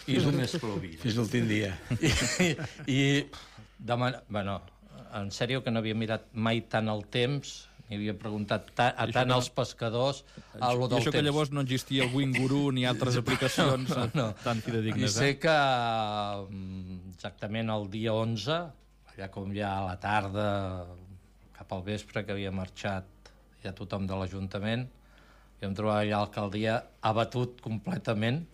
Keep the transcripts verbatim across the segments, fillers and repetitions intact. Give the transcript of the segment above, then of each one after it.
I només plovia. Fins l'últim dia. I, i demana... Bueno, en sèrio que no havia mirat mai tant el temps, ni havia preguntat ta, a tant als pescadors a lo del temps. I això que llavors no existia el Winguru ni altres aplicacions no, no. tan fidedignes. I sé eh? que exactament el dia onze, allà com ja a la tarda, cap al vespre, que havia marxat ja tothom de l'Ajuntament, i em trobava allà a l'alcaldia abatut completament,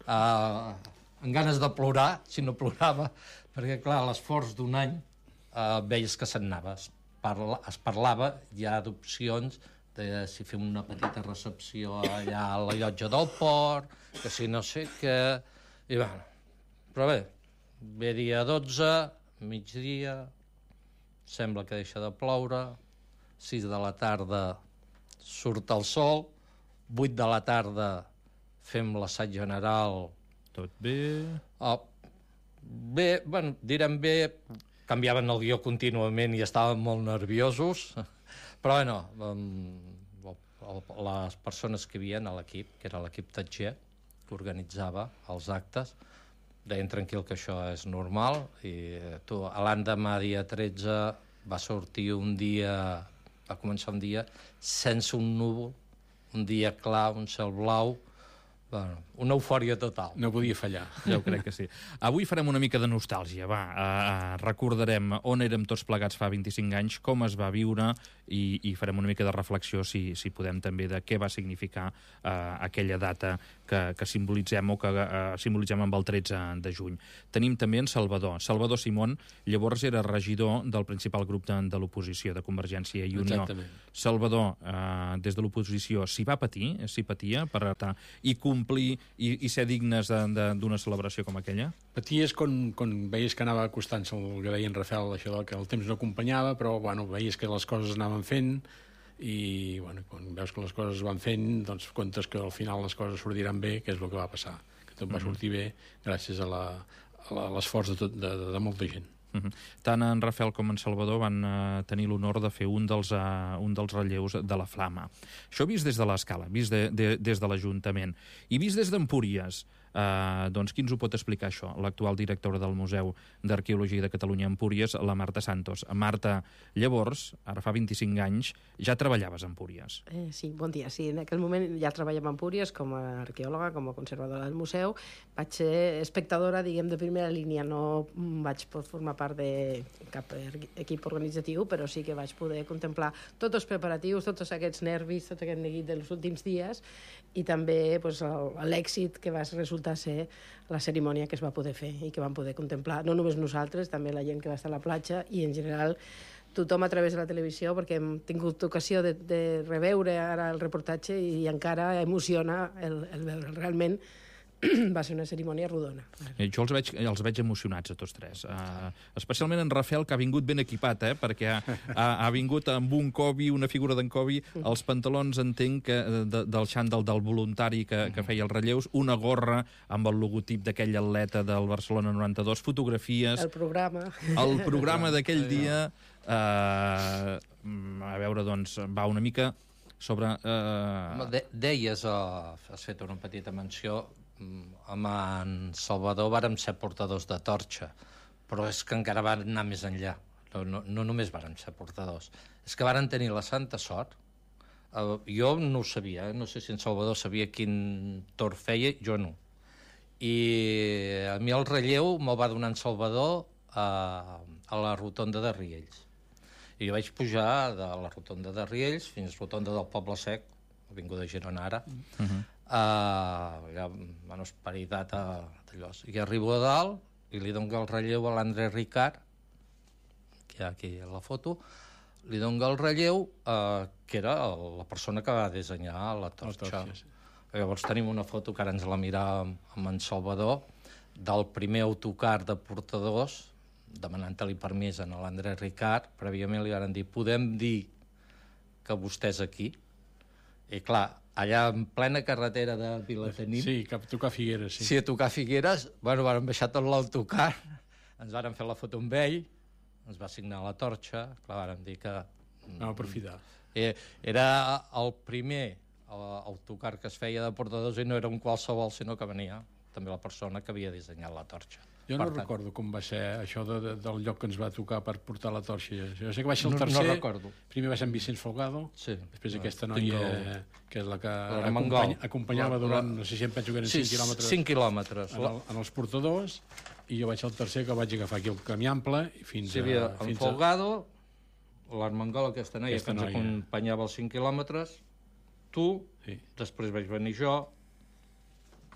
eh, amb ganes de plorar, si no plorava, perquè, clar, a l'esforç d'un any eh, veies que se'n anava. Es, parla, es parlava ja d'opcions de si fem una petita recepció allà a la llotja del port, que si no sé què... I bueno, però bé, ve dia dotze, migdia, sembla que deixa de ploure, sis de la tarda surt el sol, vuit de la tarda fem l'assaig general. Tot bé? Oh, bé, bueno, direm bé, canviaven el guió contínuament i estaven molt nerviosos, però bueno, um, les persones que hi havia a l'equip, que era l'equip Tatger, que organitzava els actes, deien tranquil que això és normal, i tu, l'endemà, dia tretze, va sortir un dia, va començar un dia sense un núvol, un dia clar, un cel blau, bueno, una eufòria total. No podia fallar. Jo crec que sí. Avui farem una mica de nostàlgia, va. Uh, recordarem on érem tots plegats fa vint-i-cinc anys, com es va viure, i, i farem una mica de reflexió, si, si podem, també, de què va significar uh, aquella data que, que simbolitzem o que uh, simbolitzem amb el tretze de juny. Tenim també en Salvador. Salvador Simón, llavors era regidor del principal grup de, de l'oposició, de Convergència i Unió. Exactament. Salvador, uh, des de l'oposició, s'hi va patir, s'hi patia, per estar i complir i, i ser dignes d'una celebració com aquella? Paties quan, quan veies que anava acostant-se el que deia en Rafael, això del que el temps no acompanyava, però bueno, veies que les coses anaven fent, i bueno, quan veus que les coses van fent, doncs comptes que al final les coses sortiran bé, que és el que va passar, que tot va sortir bé gràcies a l'esforç de, tot, de, de, de molta gent. Uh-huh. Tant en Rafael com en Salvador van uh, tenir l'honor de fer un dels, uh, un dels relleus de la Flama. Això vist des de l'escala, vist de, de, des de l'Ajuntament, i vist des d'Empúries, uh, doncs qui ens ho pot explicar això? L'actual directora del Museu d'Arqueologia de Catalunya a Empúries, la Marta Santos. Marta, llavors, ara fa vint-i-cinc anys, ja treballaves a Empúries. Eh, sí, bon dia. Sí, en aquell moment ja treballava a Empúries com a arqueòloga, com a conservadora del museu. Vaig ser espectadora, diguem, de primera línia. No vaig formar part de cap equip organitzatiu, però sí que vaig poder contemplar tots els preparatius, tots aquests nervis, tot aquest neguit dels últims dies, i també pues, l'èxit que va resultar ser la cerimònia que es va poder fer i que vam poder contemplar, no només nosaltres, també la gent que va estar a la platja i en general tothom a través de la televisió, perquè hem tingut ocasió de, de reveure ara el reportatge i encara emociona el, el veure. Realment va ser una cerimònia rodona. Eh, jo els veig, els veig emocionats a tots tres. Uh, especialment en Rafael, que ha vingut ben equipat, eh, perquè ha, ha, ha vingut amb un Kobe, una figura d'en Kobe, els pantalons, entenc, que, de, del xandall del voluntari que, que feia els relleus, una gorra amb el logotip d'aquell atleta del Barcelona noranta-dos, fotografies... El programa. El programa d'aquell dia... Uh, a veure, doncs, va una mica sobre... Uh... De, deies, uh, has fet una petita menció, amb en Salvador vàrem ser portadors de torxa, però és que encara van anar més enllà. No, no, no només vàrem ser portadors, és que varen tenir la santa sort. Uh, jo no ho sabia, eh? No sé si en Salvador sabia quin tor feia, jo no. I a mi el relleu me'l va donar en Salvador uh, a la rotonda de Riells. I jo vaig pujar de la rotonda de Riells fins a la rotonda del Poble Sec, avinguda Girona ara, uh-huh. Uh, allà, bueno, esperitat d'allò. I arribo a dalt i li dono el relleu a l'André Ricard, que hi ha aquí a la foto, li dono el relleu, uh, que era la persona que va dissenyar la torxa. La torxa sí. Llavors tenim una foto que ara ens la miràvem amb en Salvador, del primer autocar de portadors, demanant-li permís a l'André Ricard. Prèviament li van dir, podem dir que vostè és aquí? I clar, allà en plena carretera de Vilatenim... Sí, cap a tocar Figueres, sí. Sí, a tocar Figueres, bueno, vam baixar tot l'autocar, ens varen fer la foto amb ell, ens va signar la torxa, clar, vàrem dir que... No, aprofitar. Era el primer autocar que es feia de portadors i no era un qualsevol, sinó que venia també la persona que havia dissenyat la torxa. Jo no tant... recordo com va ser això de, de, del lloc que ens va tocar per portar la torxa. Jo sé que va ser el tercer. No, no recordo. Primer va ser en Vicenç Folgado, sí, després no, aquesta noia, el... que és la que acompany, acompanyava la, durant, no sé si em penso que eren sí, cinc quilòmetres. cinc quilòmetres. En, el, en els portadors, i jo vaig ser el tercer que vaig agafar aquí el camí ample fins sí, havia, a... Fins en Folgado, a... l'Armengol, aquesta noia aquesta que ens noia. acompanyava els cinc quilòmetres, tu, sí. Després vaig venir jo,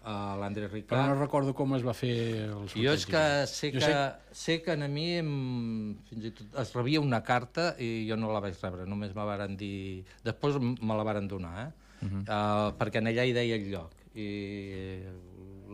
a l'Andrés Ricard. Però no recordo com es va fer el sorteig. Jo és que sé que, sé... sé que a mi em, fins i tot es rebia una carta i jo no la vaig rebre, només me varen dir... Després me la varen donar, eh? Uh -huh. uh, perquè en allà hi deia el lloc. I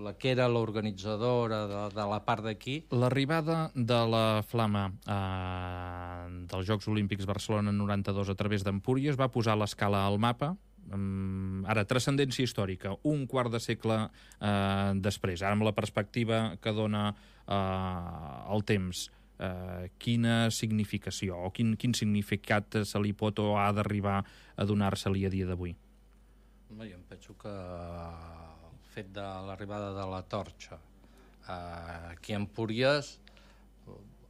la que era l'organitzadora de, de la part d'aquí... L'arribada de la Flama eh, dels Jocs Olímpics Barcelona noranta-dos a través d'Empúries va posar l'escala al mapa. Um, ara, transcendència històrica, un quart de segle uh, després, ara amb la perspectiva que dona uh, el temps, uh, quina significació o quin, quin significat se li pot o ha d'arribar a donar-se-li a dia d'avui? Jo em penso que el fet de l'arribada de la torxa uh, aquí a Empúries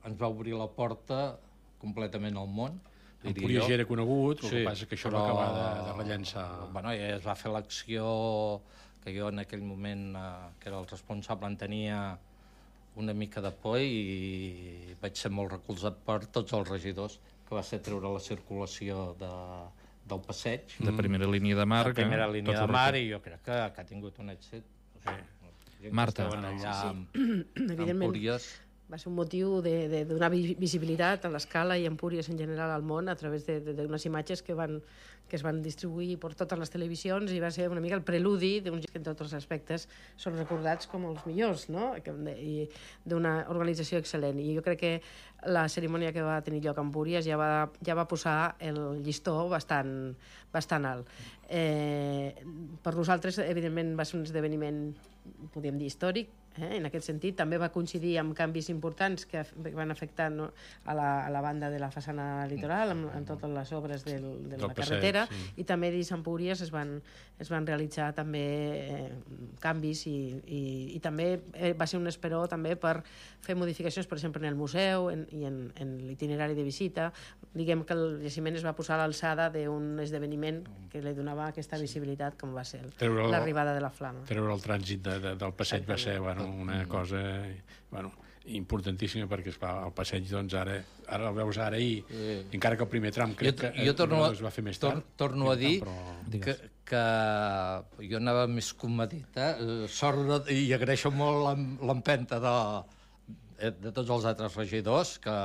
ens va obrir la porta completament al món. Empúries ja era conegut, el sí, que passa que això però, va acabar de, de rellençar... Bueno, ja es va fer l'acció que jo en aquell moment, eh, que era el responsable, en tenia una mica de por i vaig ser molt recolzat per tots els regidors, que va ser treure la circulació de, del passeig. De primera línia de mar. De primera línia de mar, i jo crec que, que ha tingut un èxit. O sigui, Marta. Allà, sí, sí. Evidentment. Empúries, va ser un motiu de, de donar visibilitat a l'Escala i a Empúries en general al món a través d'unes imatges que, van, que es van distribuir per totes les televisions i va ser una mica el preludi d'uns que en tots els aspectes són recordats com els millors, no? I d'una organització excel·lent. I jo crec que la cerimònia que va tenir lloc a Empúries ja va, ja va posar el llistó bastant, bastant alt. Eh, per nosaltres, evidentment, va ser un esdeveniment, podríem dir, històric, eh? En aquest sentit. També va coincidir amb canvis importants que van afectar, no, a, la, a la banda de la façana litoral, amb, amb totes les obres del, de la carretera, sí. I també dins Empúries es van, es van realitzar també eh, canvis i, i, i també eh, va ser un esperó també per fer modificacions, per exemple, en el museu en, i en, en l'itinerari de visita. Diguem que el jaciment es va posar a l'alçada d'un esdeveniment que li donava aquesta visibilitat, com va ser l'arribada de la Flama. Treure el trànsit de, de, del passeig va ser, bueno, una cosa, bueno, importantíssima, perquè esclar, el passeig, doncs, ara, ara el veus ara i sí. Encara que el primer tram crec jo, que jo torno, es va fer més tard. Tor, torno a dir però... que, que jo anava més comedit, eh? Sort, i agraeixo molt l'empenta de, de tots els altres regidors que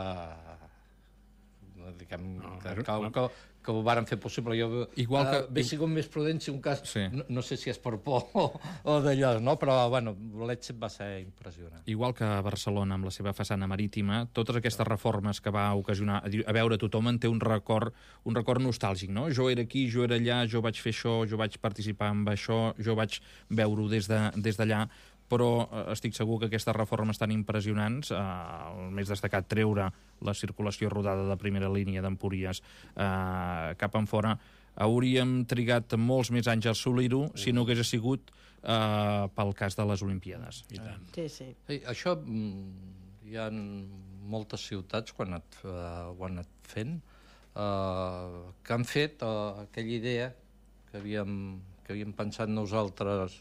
diguem, no, que, que, que, que ho varen fer possible. Jo igual que, uh, he sigut més prudent si un cas, sí. no, no sé si és per por o, o d'allò, no? Però bueno, l'èxit va ser impressionant. Igual que Barcelona amb la seva façana marítima, totes aquestes reformes que va ocasionar, a veure, tothom en té un record, un record nostàlgic, no? Jo era aquí, jo era allà, jo vaig fer això, jo vaig participar en això, jo vaig veure-ho des de, des d'allà, però estic segur que aquestes reformes tan impressionants, eh, el més destacat treure la circulació rodada de primera línia d'Empúries eh, cap en fora, hauríem trigat molts més anys a assolir-ho si no hagués sigut eh, pel cas de les Olimpíades. I tant. Sí, sí. Sí, això hi ha moltes ciutats quan et, uh, ho han anat fent uh, que han fet uh, aquella idea que havíem, que havíem pensat nosaltres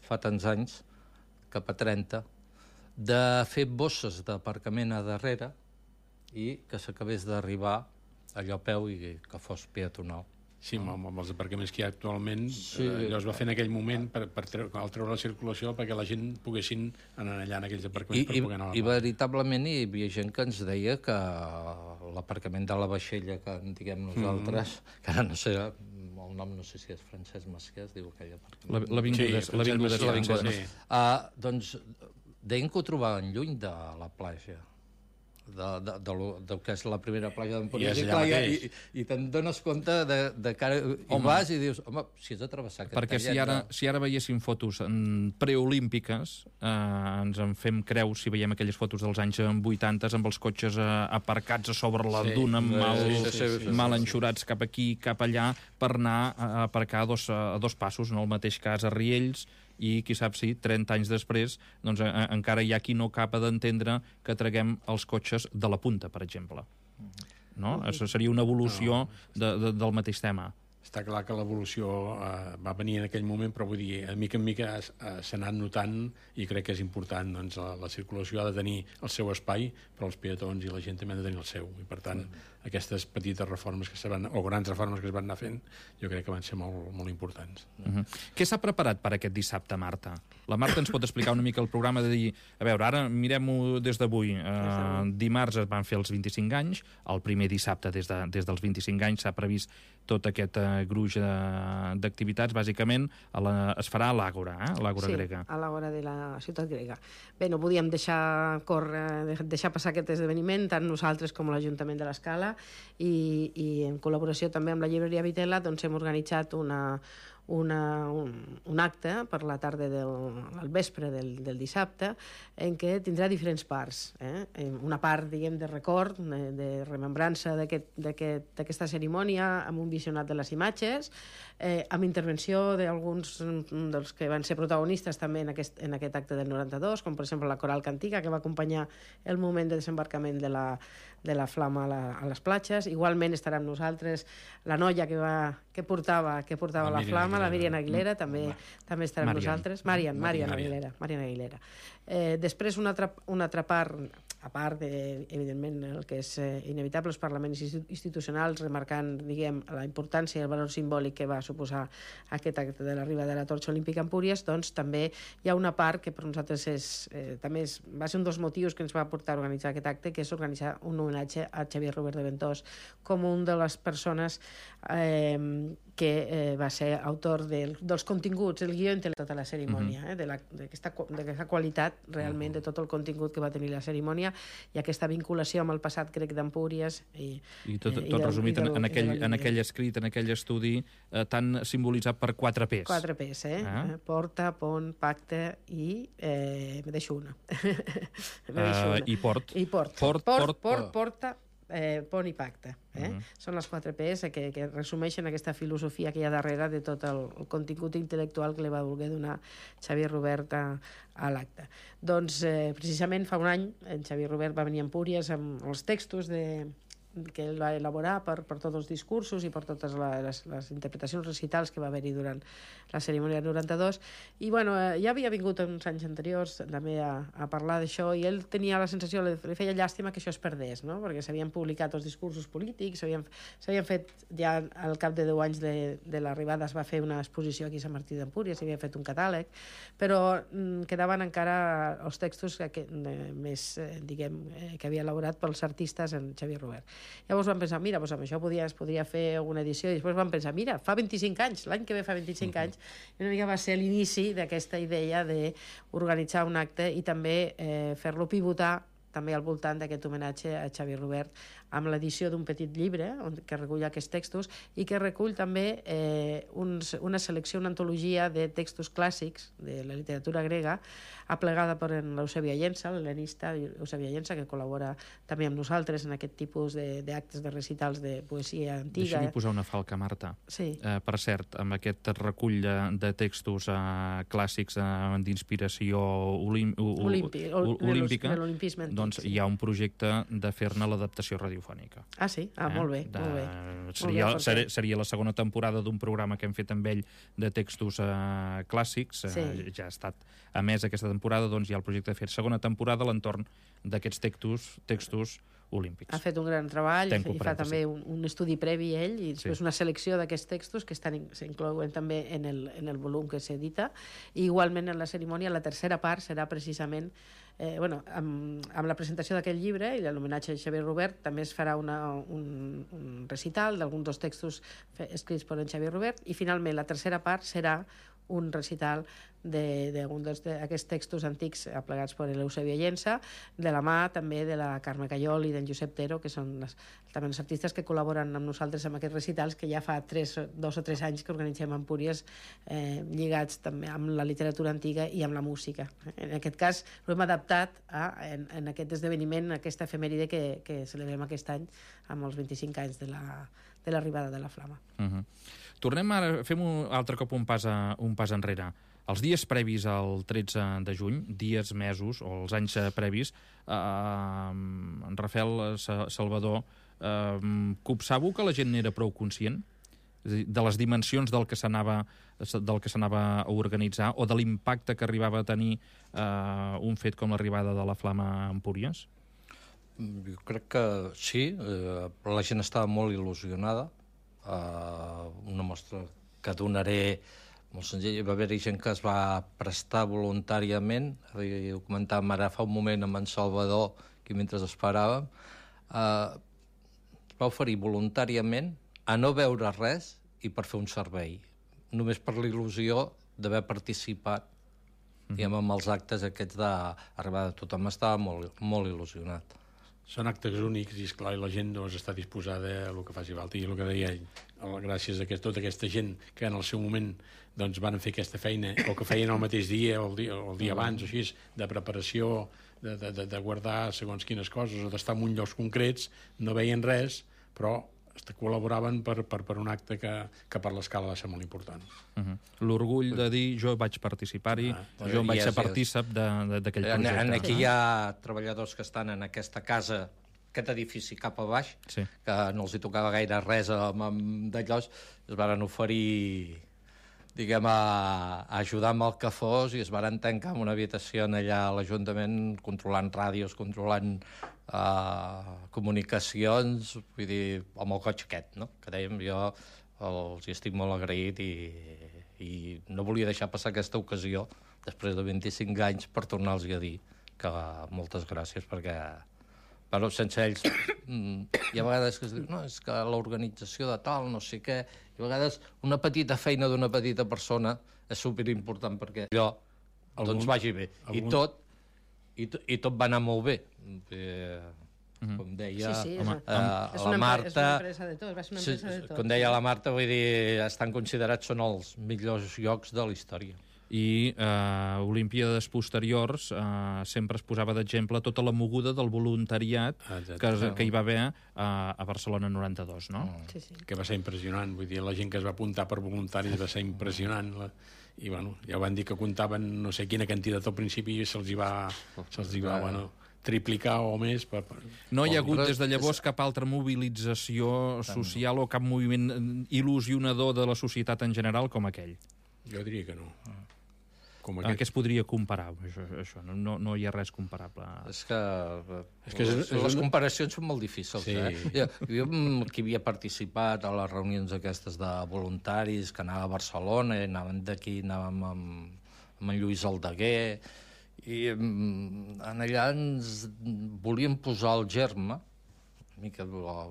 fa tants anys, cap a trenta, de fer bosses d'aparcament a darrere i que s'acabés d'arribar allò a peu i que fos peatonal. Sí, amb, amb els aparcaments que hi ha actualment, sí, eh, allò es va fer en aquell moment per, per treure, treure la circulació perquè la gent poguessin anar allà en aquells aparcaments I, per poder anar a la I veritablement hi havia gent que ens deia que l'aparcament de la vaixella que en diguem nosaltres, mm. que ara no sé, el nom no sé si és Francesc Macià, es diu aquell aparcament. L'avinguda sí, l'avinguda és l'avinguda. Sí. Uh, doncs deien que ho trobaven lluny de la platja. De, de, de, lo, de que és la primera platja d'Empúries i, i, i, i te'n dones compte de, de cara, i vas i dius, home, si has de travessar aquest perquè si ara, de... si ara veiéssim fotos preolímpiques eh, ens en fem creus si veiem aquelles fotos dels anys vuitanta amb els cotxes eh, aparcats a sobre la sí, duna mal, sí, sí, sí, sí, mal enxurats cap aquí, cap allà per anar a aparcar a dos, a dos passos, en el mateix cas a Riells i qui sap si trenta anys després doncs, a, encara hi ha qui no acaba d'entendre que traguem els cotxes de la punta, per exemple. No? Això seria una evolució de, de, del mateix tema. Està clar que l'evolució eh, va venir en aquell moment, però vull dir, de mica en mica eh, s'ha anat notant i crec que és important, doncs, la, la circulació ha de tenir el seu espai, però els peatons i la gent també han de tenir el seu, i per tant, mm. aquestes petites reformes que se van, o grans reformes que es van anar fent, jo crec que van ser molt, molt importants. Uh-huh. Què s'ha preparat per aquest dissabte, Marta? La Marta ens pot explicar una mica el programa de dir, a veure, ara mirem-ho des d'avui. Uh, dimarts es van fer els vint-i-cinc anys, el primer dissabte des, de, des dels vint-i-cinc anys s'ha previst tot aquest uh, gruix uh, d'activitats, bàsicament a la, es farà a l'Àgora, eh? a l'Àgora sí, grega. Sí, a l'Àgora de la ciutat grega. Bé, no podíem deixar córrer, deixar passar aquest esdeveniment, tant nosaltres com l'Ajuntament de l'Escala, i, i en col·laboració també amb la llibreria Vitela doncs hem organitzat una, una, un, un acte per la tarda del al vespre del, del dissabte en què tindrà diferents parts. Eh? Una part, diguem, de record, de, de remembrança d'aquesta aquest, aquest, cerimònia, amb un visionat de les imatges, eh, amb intervenció d'alguns dels que van ser protagonistes també en aquest, en aquest acte del noranta-dos, com per exemple la Coral Cantiga, que va acompanyar el moment de desembarcament de la, de la flama a, la, a les platges. Igualment estarà amb nosaltres la noia que, va, que portava, que portava la, la flama, Aguilera. La Míriam Aguilera, també, mm. també estarà amb nosaltres. Marian, Marian, Marian Aguilera. Marian Aguilera. Eh, després, una altra, una altra part, a part, de, evidentment, el que és eh, inevitable, els parlaments institucionals, remarcant, diguem, la importància i el valor simbòlic que va suposar aquest acte de l'arribada de la torxa olímpica a Empúries, doncs també hi ha una part que per nosaltres és, eh, també és, va ser un dels motius que ens va portar a organitzar aquest acte, que és organitzar un homenatge a Xavier Robert de Ventós com un de les persones eh, que eh, va ser autor del, dels continguts, el guió intel·lectual de tota la cerimònia, uh-huh. eh, d'aquesta qualitat realment uh-huh. de tot el contingut que va tenir la cerimònia i aquesta vinculació amb el passat grec d'Empúries. I, I tot, eh, tot i resumit del, en, aquell, en aquell escrit, en aquell estudi eh, tan simbolitzat per quatre P's. Quatre P's, eh? Ah. Porta, pont, pacte i... Eh, me deixo una. me deixo una. Uh, I port. I port. Port, port, port, port, porta, eh, pont i pacte. Eh? Uh-huh. Són les quatre P's que, que resumeixen aquesta filosofia que hi ha darrere de tot el, el contingut intel·lectual que li va voler donar Xavier Robert a, a l'acte. Doncs eh, precisament fa un any en Xavier Robert va venir a Empúries amb els textos de, que ell va elaborar per, per tots els discursos i per totes les, les interpretacions recitals que va haver-hi durant la cerimònia del noranta-dos. I bueno, eh, ja havia vingut uns anys anteriors també a, a parlar d'això i ell tenia la sensació, li, li feia llàstima que això es perdés, no? Perquè s'havien publicat els discursos polítics, s'havien fet ja al cap de deu anys de, de l'arribada es va fer una exposició aquí a Sant Martí d'Empúries, s'havia fet un catàleg, però mm, quedaven encara els textos que, que, més, eh, diguem, eh, que havia elaborat pels artistes en Xavier Robert. Llavors vam pensar, mira, doncs amb això podia, es podria fer alguna edició, i després vam pensar, mira, fa vint-i-cinc anys, l'any que ve fa vint-i-cinc uh-huh. anys, i una mica va ser l'inici d'aquesta idea d'organitzar un acte i també eh, fer-lo pivotar també al voltant d'aquest homenatge a Xavier Robert amb l'edició d'un petit llibre on, que recull aquests textos i que recull també eh, uns, una selecció, una antologia de textos clàssics de la literatura grega aplegada per l'Eusebia Llença, l'helenista Eusebia Llença, que col·labora també amb nosaltres en aquest tipus d'actes de, de recitals de poesia antiga. Deixa-m'hi posar una falca, Marta. Sí. Eh, per cert, amb aquest recull de, de textos eh, clàssics eh, d'inspiració olim, Olímpi, ol, olímpica, de l'olimpisme antic, doncs sí. hi ha un projecte de fer-ne l'adaptació radiofònica. Ah, sí? Ah, eh? molt bé, de, molt bé. Seria, molt bé ser, seria la segona temporada d'un programa que hem fet amb ell de textos eh, clàssics. Sí. Eh, ja ha estat emès aquesta temporada, doncs hi ha el projecte de fer segona temporada a l'entorn d'aquests textos, textos olímpics. Ha fet un gran treball Tenco, i fa també un, un estudi previ ell i després sí. una selecció d'aquests textos que estan s'inclouen també en el, en el volum que s'edita i igualment en la cerimònia la tercera part serà precisament eh, bueno, amb, amb la presentació d'aquest llibre i l'homenatge a Xavier Robert també es farà una, un, un recital d'alguns dels textos escrits per en Xavier Robert i finalment la tercera part serà un recital d'alguns d'aquests textos antics aplegats per l'Eusebia Llença, de la mà també de la Carme Callol i d'en Josep Tero, que són les, també els artistes que col·laboren amb nosaltres en aquests recitals que ja fa tres, dos o tres anys que organitzem a Empúries eh, lligats també amb la literatura antiga i amb la música. En aquest cas ho hem adaptat a, en, en aquest esdeveniment, aquesta efemèride que, que celebrem aquest any amb els vint-i-cinc anys de la, de l'arribada de la flama. Uh-huh. Tornem ara, fem un altre cop un pas, a, un pas enrere. els dies previs al tretze de juny, dies, mesos, o els anys previs, eh, en Rafael Salvador, eh, copsàveu que la gent n'era prou conscient? És a dir, de les dimensions del que s'anava del que s'anava a organitzar o de l'impacte que arribava a tenir eh, un fet com l'arribada de la Flama a Empúries? Jo crec que sí, eh, la gent estava molt il·lusionada. Eh, una mostra que donaré molt senzill. Hi va haver gent que es va prestar voluntàriament, ho comentàvem ara fa un moment amb en Salvador, que mentre esperàvem, eh, es va oferir voluntàriament a no veure res i per fer un servei, només per l'il·lusió d'haver participat mm-hmm. diguem, amb els actes aquests d'arribada. Tothom estava molt, molt il·lusionat. Són actes únics i, esclar, la gent doncs, està disposada a el que faci falta. I el que deia ell, gràcies a aquest, tota aquesta gent que en el seu moment doncs, van fer aquesta feina, o que feien el mateix dia o el dia, o el dia abans, o així, de preparació, de, de, de guardar segons quines coses, o d'estar en uns llocs concrets, no veien res, però col·laboraven per, per, per un acte que, que per l'escala va ser molt important. Uh-huh. L'orgull de dir jo vaig participar-hi, ah, jo vaig ser partícip d'aquell projecte. En, en aquí hi ha treballadors que estan en aquesta casa, aquest edifici cap a baix, sí. que no els hi tocava gaire res amb, amb d'allò, es van oferir diguem, a, a ajudar amb el que fos i es van tancar en una habitació allà a l'Ajuntament controlant ràdios, controlant uh, comunicacions, vull dir, amb el cotxe aquest, no? Que dèiem, jo els hi estic molt agraït i, i no volia deixar passar aquesta ocasió després de vint-i-cinc anys per tornar-los a dir que moltes gràcies perquè però sense ells hi ha vegades que es diu no, és que l'organització de tal, no sé què, i a vegades una petita feina d'una petita persona és superimportant perquè allò algun, doncs vagi bé. Algun... I, tot, i, to, I tot va anar molt bé. Eh, mm-hmm. Com deia sí, sí, home, és, eh, és la Marta... És una empresa de tot, va ser una empresa de tot. Com deia la Marta, vull dir, estan considerats, són els millors llocs de la història. I eh, Olimpíades posteriors eh, sempre es posava d'exemple tota la moguda del voluntariat que, que hi va haver eh, a Barcelona noranta-dos, no? Sí, sí. Que va ser impressionant, vull dir, la gent que es va apuntar per voluntaris va ser impressionant, la... i bueno, ja van dir que comptaven no sé quina quantitat al principi i se'ls hi va, se'ls hi va, bueno, triplicar o més. Per, per... No hi ha hagut des de llavors cap altra mobilització social o cap moviment il·lusionador de la societat en general com aquell? Jo diria que no. Com aquest... Què es podria comparar? Això, això no, no, no hi ha res comparable. És que, és que és, les, és les comparacions són molt difícils. Sí. Eh? Jo, jo, que havia participat a les reunions aquestes de voluntaris, que anava a Barcelona, i anàvem d'aquí, anàvem amb, amb en Lluís Aldeguer, i en allà ens volíem posar el germe, una mica allò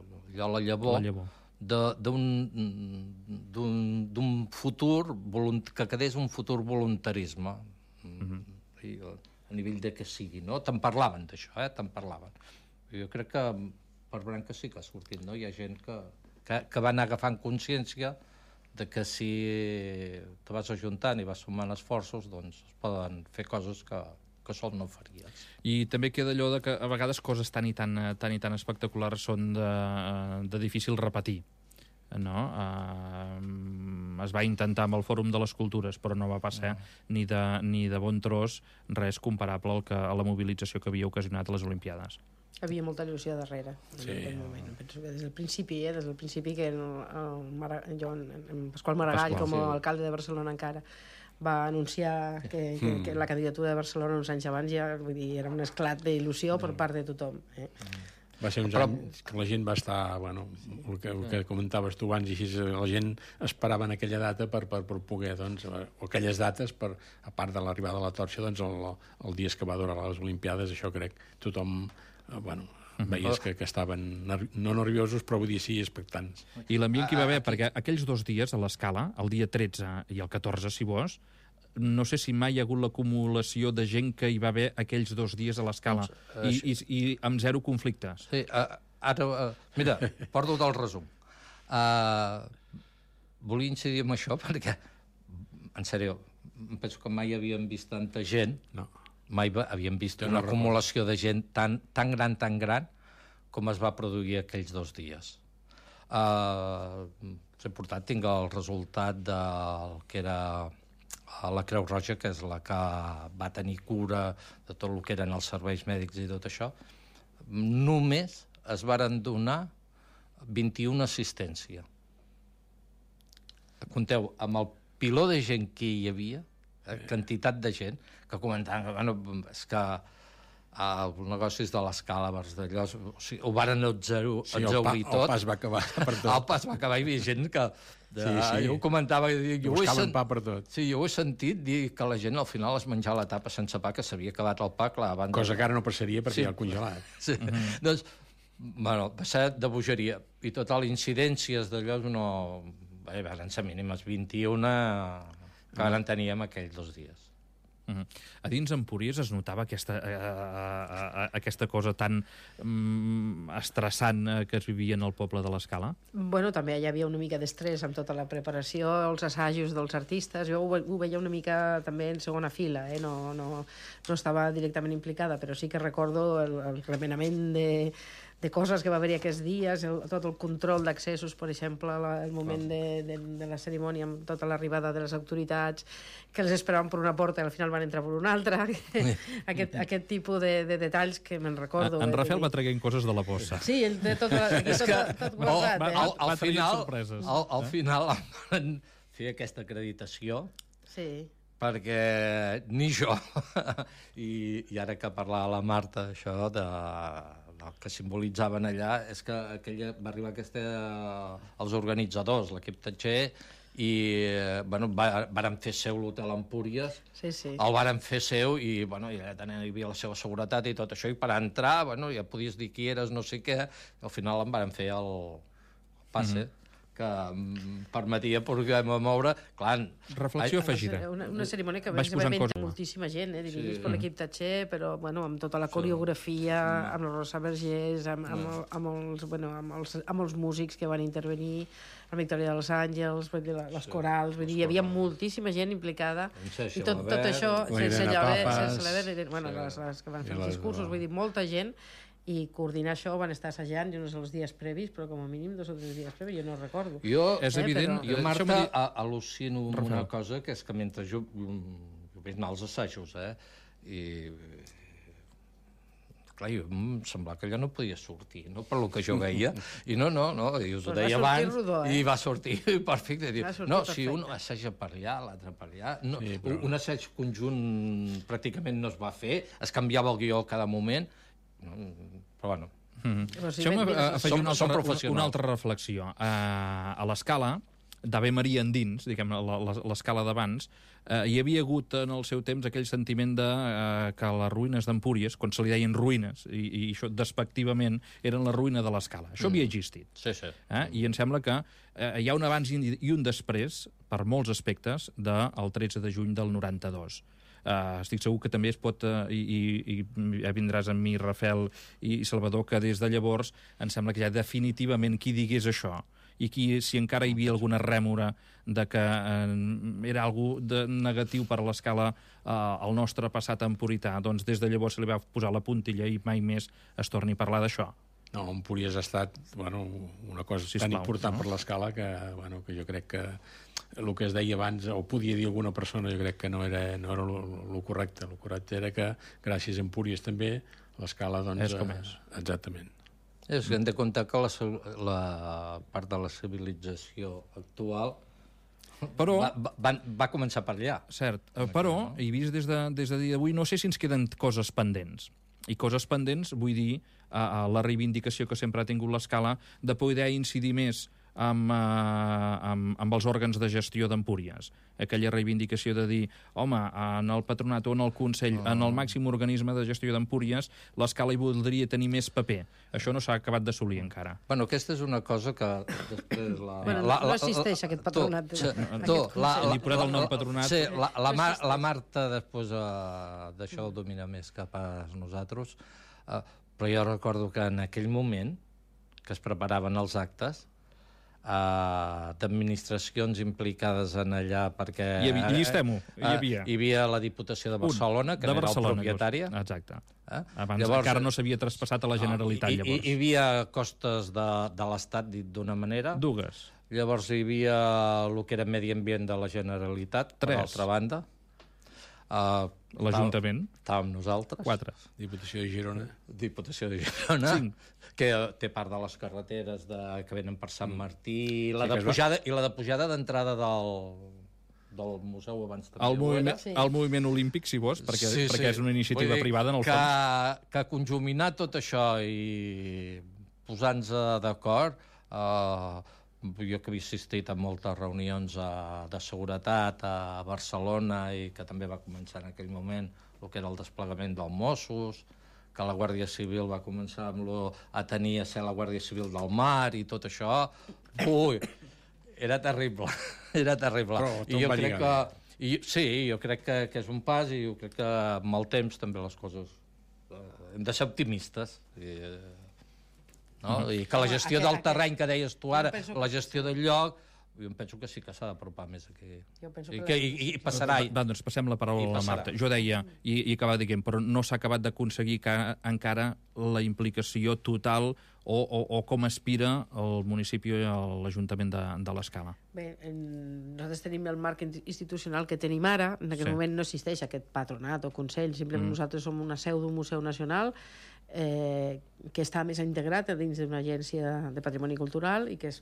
la llavor, la llavor. d'un futur que quedés un futur voluntarisme mm-hmm. I, a nivell de que sigui, no? Te'n parlaven d'això, eh? Te'n parlaven. Jo crec que per branca sí que ha sortit, no? Hi ha gent que, que, que va anar agafant consciència de que si te vas ajuntant i vas sumant esforços, doncs es poden fer coses que, que sol no faries. I també queda allò de que a vegades coses tan i tan, tan, i tan espectaculars són de, de difícil repetir. No? Uh, es va intentar amb el Fòrum de les Cultures, però no va passar no. ni, de, ni de bon tros res comparable al que, a la mobilització que havia ocasionat a les Olimpiades. Hi havia molta il·lusió darrere en sí. aquell moment. Penso que des del principi, eh, des del principi que el, el Mara, jo, en Pasqual Maragall, Pasqual, com a sí. alcalde de Barcelona encara, va anunciar que, que, mm. que la candidatura de Barcelona uns anys abans ja, vull dir, era un esclat d'il·lusió mm. per part de tothom. Eh? Mm. Va ser uns Però... anys que la gent va estar, bueno, el que, el que comentaves tu abans, i així la gent esperava en aquella data per, per, per poder, doncs, o aquelles dates, per, a part de l'arribada de la torxa, doncs, el, el dia que va durar les Olimpiades, això crec, tothom, bueno, veies que, que estaven no nerviosos, però vull dir sí, expectants. I l'ambient que hi va haver, perquè aquells dos dies a l'escala, el dia tretze i el catorze, si vols, no sé si mai hi ha hagut l'acumulació de gent que hi va haver aquells dos dies a l'escala doncs, i, i, i amb zero conflictes. Sí, uh, ara, uh, mira, porto del resum. Uh, volia incidir en això perquè, en sèrio, penso que mai havíem vist tanta gent, no. mai havíem vist una acumulació de gent tan, tan gran, tan gran, com es va produir aquells dos dies. Uh, és important, tinc el resultat del que era a la Creu Roja, que és la que va tenir cura de tot el que eren els serveis mèdics i tot això, només es varen donar vint-i-una assistència. Compteu, amb el piló de gent que hi havia, eh, quantitat de gent, que comentaven que, bueno, és que els negocis de l'Escala, d'allò, o sigui, ho varen exaurir sí, el, pa, tot. El pas va acabar per tot. El pas va acabar, hi havia gent que... De, sí, sí. Jo ho comentava, jo buscaven sent... pa per tot. Sí, jo ho he sentit dir que la gent al final es menjava la tapa sense pa, que s'havia acabat el pa, clar, abans... Cosa que ara no passaria perquè sí. hi ha el congelat. Sí, uh -huh. Doncs, bueno, va ser de bogeria. I total, incidències d'allò no... Bé, van ser mínimes vint-i-una que van tenir en aquells dos dies. Uh -huh. A dins Empúries es notava aquesta, eh, eh, aquesta cosa tan mm, estressant eh, que es vivia en el poble de l'Escala? Bueno, també hi havia una mica d'estrès amb tota la preparació, els assajos dels artistes. Jo ho, ho veia una mica també en segona fila, eh? no, no, no estava directament implicada, però sí que recordo el, el remenament de, de coses que va haver-hi aquests dies, el, tot el control d'accessos, per exemple, la, el moment de, de, de la cerimònia amb tota l'arribada de les autoritats, que les esperaven per una porta i al final van entrar per una altra. aquest, aquest tipus de, de detalls que me'n recordo. En, en eh, Rafael va traient coses de la bossa. Sí, ell té tot, aquí tot, tot, tot guardat. Oh, eh? al, al, Va traient final, sorpreses. al, al final van fer aquesta acreditació Sí. perquè ni jo, i, i ara que parlava la Marta això de, del que simbolitzaven allà, és que aquella, va arribar aquesta, els organitzadors, l'equip Tatxer, i bueno, va, varen fer seu l'hotel Empúries, Sí, sí. el varen fer seu i, bueno, i allà hi havia la seva seguretat i tot això, i per entrar, bueno, ja podies dir qui eres, no sé què, al final em varen fer el, el passe, mm -hmm. que em permetia poder moure, clar... Reflexió ai, afegida. Una, una cerimònia que Vaig va posant venir coses. moltíssima gent, eh, dirigits Sí. per l'equip Tatxer, però bueno, amb tota la coreografia, amb la Rosa Vergés, amb, amb, el, amb, els, bueno, amb, els, amb els músics que van intervenir, la Victòria dels Àngels, vull dir, les corals, vull dir, hi havia moltíssima gent implicada, i tot, tot això, sense Llaver, sense Llaver, bueno, les, les que van fer els discursos, vull dir, molta gent, i coordinar això van estar assajant, jo no sé els dies previs, però com a mínim dos o tres dies previs, jo no recordo. Jo, És evident... jo Marta, dir... al·lucino amb una cosa, que és que mentre jo, jo vaig anar als assajos, eh, i... Clar, jo em semblava que allò no podia sortir, no? Per lo que jo veia. I no, no, no, i us ho Pues deia va sortir abans, rodó, eh? i va sortir perfecte. Diu, Va sortir no, perfecte. si un assaja per allà, l'altre per allà... No, Sí, però- Un assaig conjunt pràcticament no es va fer, es canviava el guió a cada moment, no, però bueno... Mm Però sí, Deixeu-me ben- eh, ben- afegir Som- una som altra, una, professionals. una altra reflexió. Uh, a l'Escala, d'Ave Maria endins, diguem, la- la- l'Escala d'abans, uh, hi havia hagut en el seu temps aquell sentiment de uh, que les ruïnes d'Empúries, quan se li deien ruïnes, i, i això despectivament, eren la ruïna de l'Escala. Això havia existit. Sí, sí. Eh? I em sembla que eh, hi ha un abans i i un després, per molts aspectes, del tretze de juny del noranta-dos. Uh, estic segur que també es pot, uh, i, i, i ja vindràs amb mi, Rafael i Salvador, que des de llavors em sembla que ja definitivament qui digués això i qui, si encara hi havia alguna rèmora de que eh, era algú de negatiu per a l'Escala eh, al nostre passat empurità, doncs des de llavors se li va posar la puntilla i mai més es torni a parlar d'això. No, Empúries ha estat bueno, una cosa Sisplau, tan important no? per l'Escala que, bueno, que jo crec que el que es deia abans, o podia dir alguna persona, jo crec que no era, no era el correcte. El correcte era que, gràcies a Empúries també, l'Escala, doncs... És com és. Eh, exactament. És que hem de comptar que la, la part de la civilització actual Però... va, va, va, va començar per allà. Cert, eh, però, i vist des de, des de dia d'avui, no sé si ens queden coses pendents. I coses pendents, vull dir, a, a la reivindicació que sempre ha tingut l'Escala de poder incidir més amb, uh, amb, amb els òrgans de gestió d'Empúries. Aquella reivindicació de dir, home, en el patronat o en el Consell, oh. en el màxim organisme de gestió d'Empúries, l'Escala hi voldria tenir més paper. Això no s'ha acabat d'assolir encara. Bueno, aquesta és una cosa que després... La, Bueno, la, no existeix aquest patronat, Tu, aquest tu, consell. la, Li he posat el nom patronat. Sí, la, la, Mar, la Marta després uh, d'això ho domina més cap a nosaltres, uh, però jo recordo que en aquell moment que es preparaven els actes, Uh, d'administracions implicades en allà perquè... Hi havia, llistem-ho, hi uh, havia. Hi havia la Diputació de Barcelona, que de era Barcelona, el propietària. Exacte. Eh? Abans llavors, encara no s'havia traspassat a la Generalitat, I, llavors. I, hi havia costes de, de l'Estat, dit d'una manera. Dues. llavors hi havia el que era Medi Ambient de la Generalitat, per Tres. altra banda. Uh, L'Ajuntament. Estàvem nosaltres. Quatre. Diputació de Girona. Diputació de Girona, Cinc. que té part de les carreteres de, que venen per Sant Martí, i la Sí, de que es va- pujada, i la de pujada d'entrada del, del museu abans també. El ho moviment, era. Sí. el moviment olímpic, si vols, perquè, Sí, sí. perquè és una iniciativa Vull dir privada, en el que, fons. Que conjuminar tot això i posar-nos d'acord, eh, jo que havia assistit a moltes reunions a, de seguretat a Barcelona i que també va començar en aquell moment el que era el desplegament dels Mossos, que la Guàrdia Civil va començar amb lo, a tenir a ser la Guàrdia Civil del Mar i tot això, ui, era terrible, era terrible. Però tot I jo va crec lligar que, i, sí, jo crec que, que és un pas i jo crec que amb el temps també les coses eh, hem de ser optimistes. I, eh, no? I que la Home, gestió aquest- del terreny que deies tu ara, Jo penso que la gestió del lloc, jo em penso que sí que s'ha d'apropar més aquí. Jo penso I, que que, la- i, i passarà. Va, va, doncs passem la paraula I a la passarà. Marta. Jo deia, i, i acabava dient, però no s'ha acabat d'aconseguir que encara la implicació total o, o, o com aspira el municipi i l'Ajuntament de, de l'Escala. Bé, en, nosaltres tenim el marc institucional que tenim ara. En aquest Sí. sí. moment no existeix aquest patronat o consell, simplement mm. nosaltres som una seu d'un museu nacional eh, que està més integrat dins d'una agència de patrimoni cultural i que, és,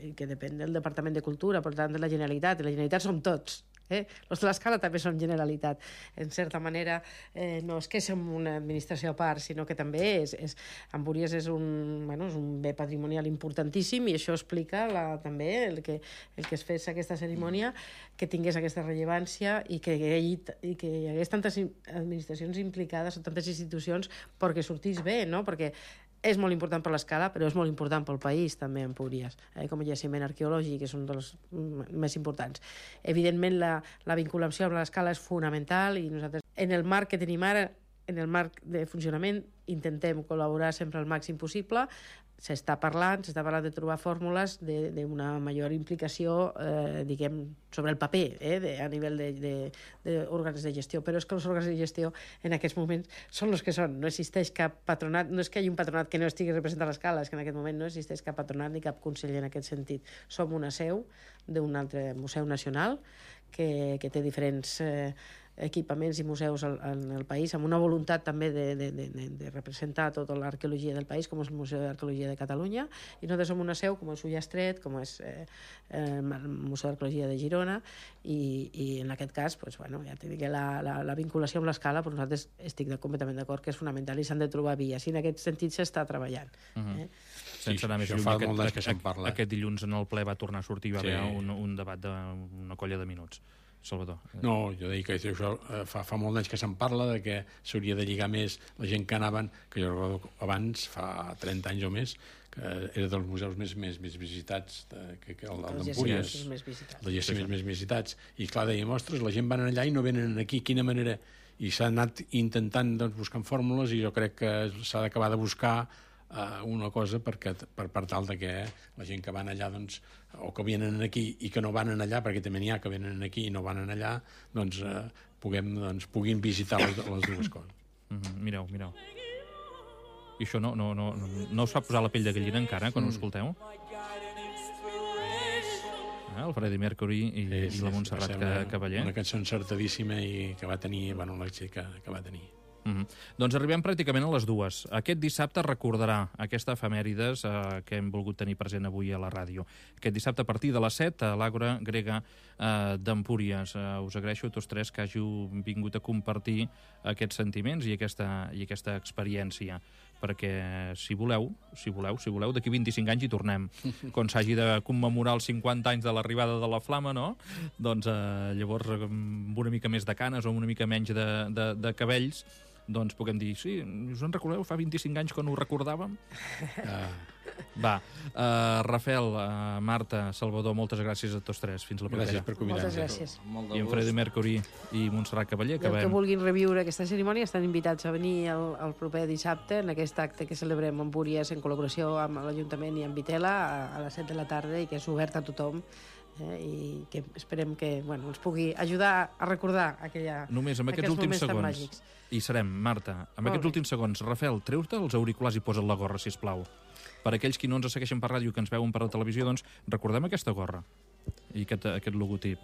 i que depèn del Departament de Cultura, per tant de la Generalitat. I la Generalitat som tots. Eh? Els de l'Escala també són Generalitat. En certa manera, eh, no és que som una administració a part, sinó que també és, és Empúries és un, bueno, és un bé patrimonial importantíssim i això explica la, també el que, el que es fes aquesta cerimònia, que tingués aquesta rellevància i que, hi hagi, i que hi hagués tantes administracions implicades o tantes institucions perquè sortís bé, no? Perquè és molt important per l'Escala, però és molt important pel país, també, Empúries, eh? Com a jaciment arqueològic, és un dels més importants. Evidentment, la, la vinculació amb l'Escala és fonamental i nosaltres, en el marc que tenim ara, en el marc de funcionament, intentem col·laborar sempre al màxim possible. S'està parlant, s'està parlant de trobar fórmules d'una major implicació, eh, diguem, sobre el paper, eh, de, a nivell d'òrgans de, de, de gestió. Però és que els òrgans de gestió en aquests moments són els que són. No existeix cap patronat, no és que hi hagi un patronat que no estigui representant a l'Escala, és que en aquest moment no existeix cap patronat ni cap conseller en aquest sentit. Som una seu d'un altre museu nacional que, que té diferents eh, equipaments i museus al, en el país, amb una voluntat també de, de, de, de representar tota l'arqueologia del país, com és el Museu d'Arqueologia de Catalunya, i nosaltres som una seu com és Ullastret, com és eh, el Museu d'Arqueologia de Girona, i, i en aquest cas, pues, bueno, ja t'he dit que la, la, la vinculació amb l'Escala, però nosaltres estic de, completament d'acord que és fonamental i s'han de trobar vies, i en aquest sentit s'està treballant. Uh-huh. eh? Sense anar més això lluny, fa aquest, molt d'anys que se'n aquest, parla. aquest dilluns en el ple va tornar a sortir, va Sí. haver un, un debat d'una colla de minuts. Salvador. No, jo deia que això eh, fa, fa molt d'anys que se'n parla de que s'hauria de lligar més la gent que anaven, que jo recordo abans, fa trenta anys o més, que era dels museus més, més, més visitats de, que, que el, el Els d'Empúries, jaciments més visitats. els jaciments més visitats. I clar, dèiem, ostres, la gent van allà i no venen aquí, quina manera... I s'ha anat intentant doncs, buscant fórmules i jo crec que s'ha d'acabar de buscar uh, una cosa perquè, per, per tal de que la gent que van allà, doncs, o que venen aquí i que no van allà, perquè també n'hi ha que venen aquí i no van allà, doncs, uh, puguem, doncs puguin visitar les, les dues coses. Mm -hmm. Mireu, mireu. I això no, no, no, no us fa posar la pell de gallina encara, quan mm. ho escolteu? Eh, el Freddie Mercury i, sí, sí, i la Montserrat sí, una, Cavaller. Una cançó encertadíssima i que va tenir, bueno, l'èxit que, que va tenir. Mm -hmm. Doncs arribem pràcticament a les dues. Aquest dissabte recordarà aquesta efemèrides eh, que hem volgut tenir present avui a la ràdio. Aquest dissabte a partir de les set a l'Àgora Grega eh, d'Empúries. Eh, us agraeixo a tots tres que hàgiu vingut a compartir aquests sentiments i aquesta, i aquesta experiència, perquè si voleu, si voleu, si voleu, d'aquí vint-i-cinc anys hi tornem. Quan s'hagi de commemorar els cinquanta anys de l'arribada de la flama, no? Doncs eh, llavors amb una mica més de canes o una mica menys de, de, de cabells, doncs puguem dir, sí, us en recordeu fa vint-i-cinc anys quan ho recordàvem? Uh, Va, uh, Rafael, uh, Marta, Salvador, moltes gràcies a tots tres. Fins la propera. gràcies per convidar-nos. Moltes gràcies. Molt de I en gust. Freddie Mercury i Montserrat Cavaller, I els que acabem. vulguin reviure aquesta cerimònia estan invitats a venir el, el proper dissabte en aquest acte que celebrem a Empúries en col·laboració amb l'Ajuntament i amb Vitela a, a les set de la tarda i que és obert a tothom, eh, i que esperem que bueno, ens pugui ajudar a recordar aquella, Només amb aquests aquells últims moments tan segons. màgics. I serem, Marta, amb Molt aquests bé. últims segons. Rafael, treu-te els auriculars i posa't la gorra, si us plau. Per aquells qui no ens segueixen per ràdio, que ens veuen per la televisió, doncs recordem aquesta gorra i aquest, aquest logotip.